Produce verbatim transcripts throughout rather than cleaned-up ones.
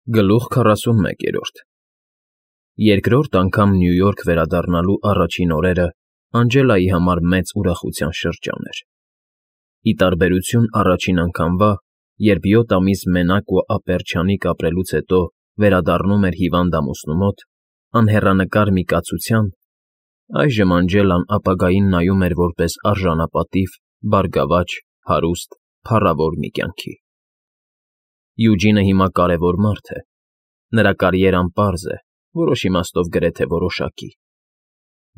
Գլուխ քառասունմեկ։ Երկրորդ անգամ Նյու Յորք վերադառնալու առաջին օրերը Անգելայի համար մեծ ուրախության շրջան էր. ի տարբերություն առաջին անգամվա, երբ յոթ ամիս մենակ ու ապերչանիկ ապրելուց հետո վերադառնում էր հիվանդ ամուսնու մոտ, անհեռանկար մի կացության, այժմ Անգելան ապագային նայում էր որպես արժանապատիվ, բարգավաճ, հարուստ, փառավոր մի կյանքի։ Յուջինը հիմա կարևոր մարդ է, նրա կարիերան պարզ է, որոշ իմաստով գրեթե որոշակի։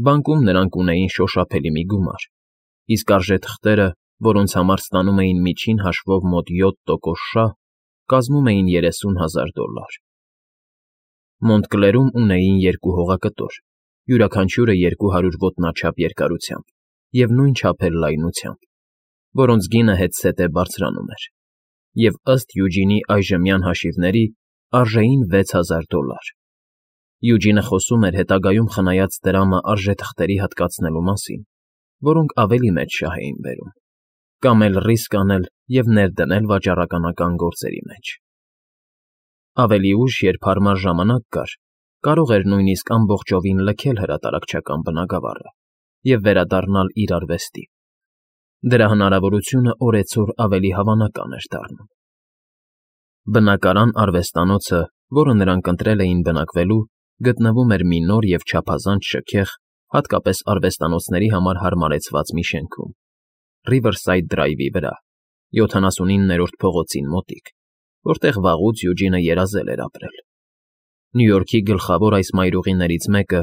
Բանկում նրանք ունեին շոշափելի մի գումար, իսկ արժեթղթերը, որոնց համար ստանում էին միջին հաշվով մոտ յոթ տոկոս շահ, կազմում էին երեսուն հազար դոլար։ Մոնտկլերում ունեին երկու հողակտոր, յուրաքանչյուրը երկու հարյուր ոտնաչափ երկարությամբ և նույն չափեր լայնությամբ, որոնց գինը հետզհետե բարձրանում էր, և, ըստ Յուջինի այժմյան հաշիվների, արժեին վեց հազար դոլար։ Յուջինը խոսում էր հետագայում խնայած դրամը արժեթղթերի հատկացնելու մասին, որոնք ավելի մեծ շահ էին բերում, կամ էլ ռիսկ անել և ներդնել վաճառականական գործերի մեջ։ Ավելի ուշ, երբ հարմար ժամանակ կար, կարող էր նույնիսկ ամբողջովին լքել հրատարակչական բնագավառը և վերադառնալ իր արվեստին։ Դրա հնարավորությունը օրեցօր ավելի հավանական էր դառնում։ Բնակարան արվեստանոցը, որը նրանք ընտրել էին բնակվելու, գտնվում էր մի նոր և չափազանց շքեղ, հատկապես արվեստանոցների համար հարմարեցված մի շենքում, Riverside Drive-ի վրա, յոթանասունիններորդ փողոցին մոտիկ, որտեղ վաղուց Յուջինը երազել էր ապրել։ Նյու Յորքի գլխավոր այս մայրուղիներից մեկը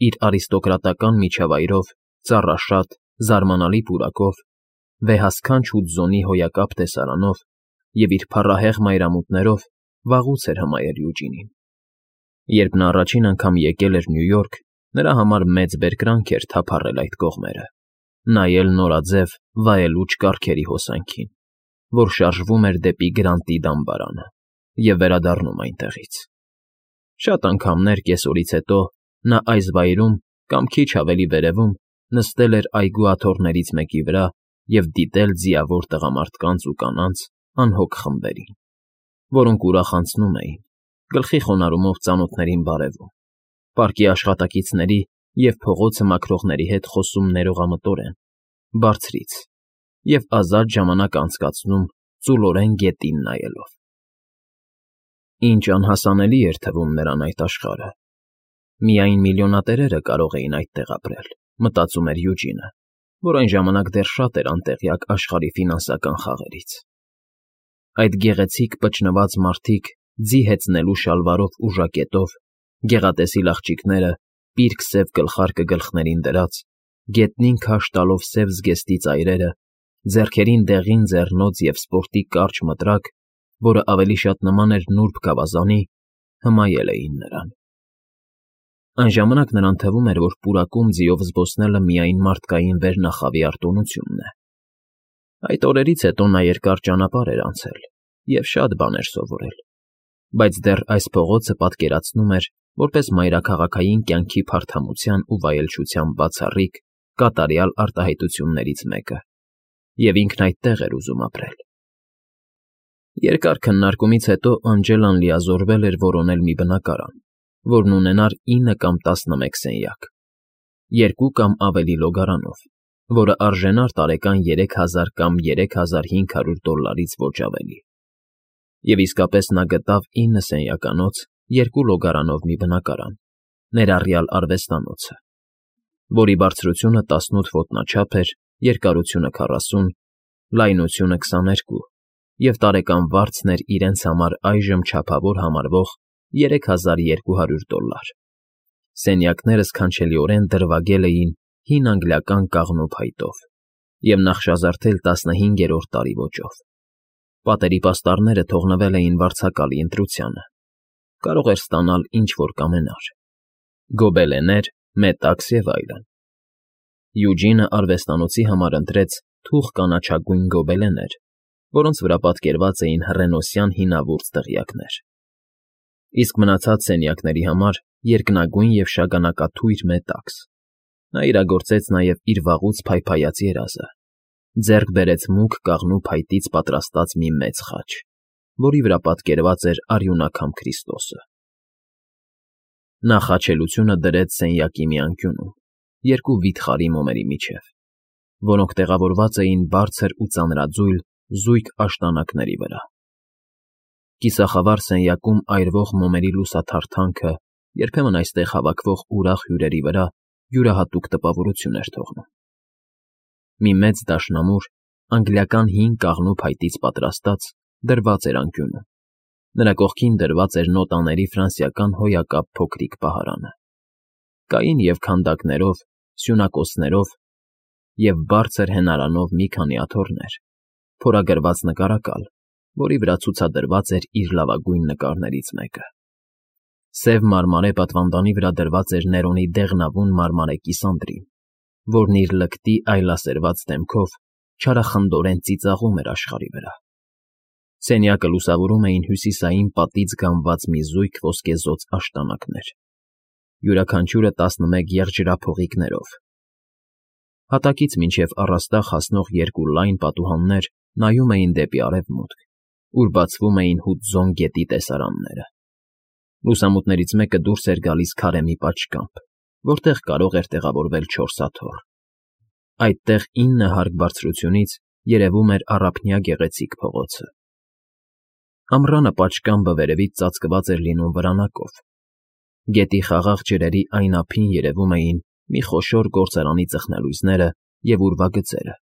իր արիստոկրատական միջավայրով, ծառաշատ, զարմանալի պուրակով, վեհասքանչ հուդզոնի հոյակապ տեսարանով և իր փառահեղ մայրամուտներով վաղուց էր հմայել Յուջինին։ Երբ նա առաջին անգամ եկել էր Նյու Յորք, նրա համար մեծ բերկրանք էր թափառել այդ կողմերը, նայել նորաձև, վայելուչ կառքերի հոսանքին, որ շարժվում էր դեպի Գրանտի դամբարանը, և վերադառնում այնտեղից։ Շատ անգամներ կեսօրից հետո նա այս վայրում կամ քիչ ավելի վերևում նստել էր այգու աթոռներից մեկի վրա և դիտել ձիավոր տղամարդկանց ու կանանց անհոգ խմբերին, որոնք ուրախ անցնում էին, գլխի խոնարհումով ծանոթներին բարևում, պարկի աշխատակիցների և փողոցը մաքրողների հետ խոսում ներողամտորեն, բարձրից, և ազատ ժամանակ անցկացնում ծուլորեն գետին նայելով։ Ինչ անհասանելի էր թվում նրան այդ աշխարհը։ Միայն միլիոնատերերը կարող էին այդտեղ ապրել, մտածում էր Յուջինը, որ այն ժամանակ դեռ շատ էր անտեղյակ աշխարհի ֆինանսական խաղերից։ Այդ գեղեցիկ պճնված մարդիկ ձի հեծնելու շալվարով ու ժակետով, գեղատեսիլ աղջիկները, պիրկ սև գլխարկը գլխներին դրած, գետնին քաշ տալով սև զգեստի ծայրերը, ձեռքերին դեղին ձեռնոց և սպորտի կարճ մտրակ, որը ավելի շատ նման էր նուրբ գավազանի, հմայել էին նրան։ Այն ժամանակ նրան թվում էր, որ պուրակում ձիով զբոսնելը միայն մարդկային վերնախավի արտոնությունն է։ Այդ օրերից հետո նա երկար ճանապարհ էր անցել և շատ բան էր սովորել, բայց դեռ այս փողոցը պատկերացնում էր որպես մայրաքաղաքային կյանքի փարթամության ու վայելչության բացառիկ, կատարյալ արտահայտություններից մեկը, և ինքն այդտեղ էր ուզում ապրել։ Երկար քննարկումից հետո Անգելան լիազորվել էր որոնել մի բնակարան, որն ունենար ինը կամ տասնմեկ սենյակ, երկու կամ ավելի լոգարանով, որը արժենար տարեկան երեք հազար կամ երեք հազար հինգ հարյուր դոլարից ոչ ավելի։ Եվ իսկապես նա գտավ ինը սենյականոց, երկու լոգարանով մի բնակարան, ներառյալ արվեստանոցը, որի բարձրությունը տասնութ ոտնաչափ էր, երկարությունը քառասուն, լայնությունը քսաներկու, և տարեկան վարձն էր իրենց համար այժմ չափավոր համարվող երեք հազար երկու հարյուր դոլար։ Սենյակները սքանչելիորեն դրվագել էին հին անգլիական կաղնու փայտով և նախշազարդել տասնհինգերորդ տարի ոճով։ Պատերի պաստառները թողնվել էին վարձակալի ընտրությանը, կարող էր ստանալ ինչ֊որ կամենար՝ գոբելեններ, մետաքս և այլն։ Յուջինը արվեստանոցի համար ընտրեց թուխ կանաչագույն գոբելեններ, որոնց վրա պատկերված էին հռենոսյան հինավուրց դղյակներ, իսկ մնացած սենյակների համար երկնագույն և շագանակաթույր մետաքս։ Նա իրագործեց նաև իր վաղուց փայփայած երազը, ձեռք բերեց մուգ կաղնու փայտից պատրաստած մի մեծ խաչ, որի վրա պատկերված էր արյունակամ Քրիստոսը։ Նա խաչելությունը դրեց սենյակի մի անկյունում, երկու վիթխարի մոմերի միջև, որոնք տեղավորված էին բարձր ու ծանրաձույլ զույգ աշտանակների վրա։ Կիսախավար սենյակում այրվող մոմերի լուսաթարթանքը երբեմն այստեղ հավաքվող ուրախ հյուրերի վրա յուրահատուկ տպավորություն էր թողնում։ Մի մեծ դաշնամուր, անգլիական հին կաղնու փայտից պատրաստած, դրված էր անկյունում, նրա կողքին դրված էր նոտաների ֆրանսիական հոյակապ փոքրիկ պահարանը։ Կային և քանդակներով, սյունակոցներով և բարձր հենարանով մի քանի աթոռներ, փորագրված նկարակալ, որի վրա ցուցադրված էր իր լավագույն նկարներից մեկը։ Սև մարմարե պատվանդանի վրա դրված էր Ներոնի դեղնավուն մարմարե կիսանդրին, որն իր լկտի այլասերված դեմքով չարախնդորեն ծիծաղում էր աշխարհի վրա։ Սենյակը լուսավորում էին հյուսիսային պատից գամված մի զույգ ոսկեզօծ աշտանակներ, յուրաքանչյուրը տասնմեկ եղջերափողիկներով։ Հատակից մինչև առաստաղ հասնող երկու լայն պատուհաններ նայում էին դեպի արևմուտք, ուր բացվում էին Հուդզոն գետի տեսարանները։ Լուսամուտներից մեկը դուրս էր գալիս քարե մի պատշգամբ, որտեղ կարող էր տեղավորվել չորս աթոռ։ Այդտեղ ինը հարկ բարձրությունից երևում էր առափնյա գեղեցիկ փողոցը։ Ամռանը պատշգամբը վերևից ծածկված էր լինում վրանակով։ Գետի խաղաղ ջրերի այն ափին երևում էին մի խոշոր գործարանի ծխնելույզները և ուրվագծերը,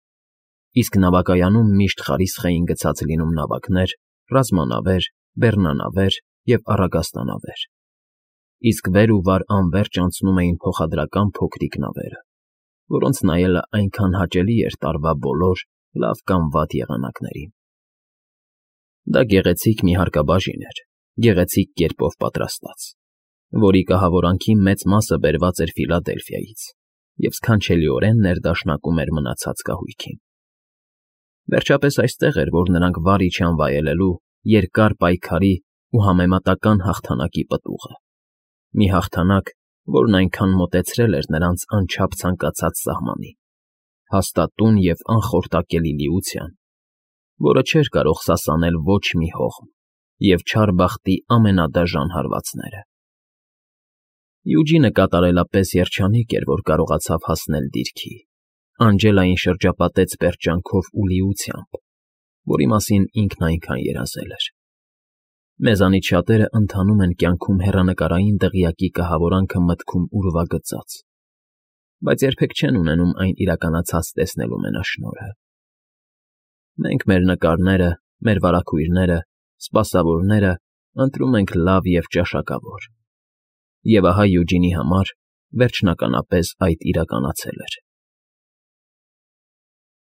իսկ նավակայանում միշտ խարիսխ էին գցած լինում նավակներ, ռազմանավեր, բեռնանավեր և առագաստանավեր, իսկ վեր ու վար անվերջ անցնում էին փոխադրական փոքրիկ նավերը, որոնց նայելը այնքան հաճելի էր տարվա բոլոր, լավ կամ վատ եղանակներին։ Դա գեղեցիկ մի հարկաբաժին էր, գեղեցիկ կերպով պատրաստած, որի կահավորանքի մեծ մասը բերված էր Ֆիլադելֆիայից և սքանչելիորեն ներդաշնակում էր մնացած կահույքին։ Վերջապես այստեղ էր, որ նրանք վար իջան վայելելու երկար պայքարի ու համեմատական հաղթանակի պտուղը, մի հաղթանակ, որն այնքան մոտեցրել էր նրանց անչափ ցանկացած սահմանին, հաստատուն և անխորտակելի լիության, որը չէր կարող սասանել ոչ մի հողմ և չար բախտի ամենադաժան հարվածները։ Յուջինը կատարելապես երջանիկ էր, որ կարողացավ հասնել դիրքի, Անջելային շրջապատեց պերճանքով ու լիությամբ, որի մասին ինքն այնքան երազել էր։ Մեզանից շատերը ընթանում են կյանքում հեռանկարային դղյակի կահավորանքը մտքում ուրվագծած, բայց երբեք չեն ունենում այն իրականացած տեսնելու մենաշնորհը։ Մենք մեր նկարները, մեր վարագույրները, սպասավորները ընտրում ենք լավ և ճաշակավոր։ Եվ ահա Յուջինի համար վերջնականապես այդ իրականացել էր։